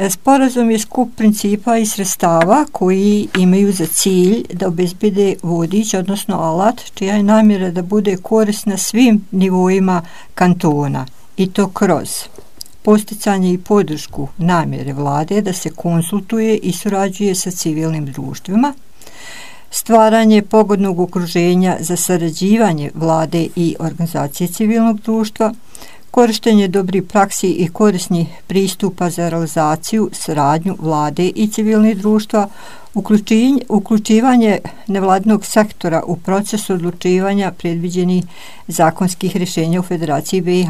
Sporazum je skup principa i sredstava koji imaju za cilj da obezbede vodič, odnosno alat, čija je namjera da bude korisna svim nivoima kantona, i to kroz posticanje i podršku namjere vlade da se konsultuje i surađuje sa civilnim društvima, stvaranje pogodnog okruženja za sarađivanje vlade i organizacije civilnog društva, korištenje dobrih praksi i korisnih pristupa za realizaciju, saradnju vlade i civilnih društva, uključivanje nevladinog sektora u proces odlučivanja predviđenih zakonskih rješenja u Federaciji BiH.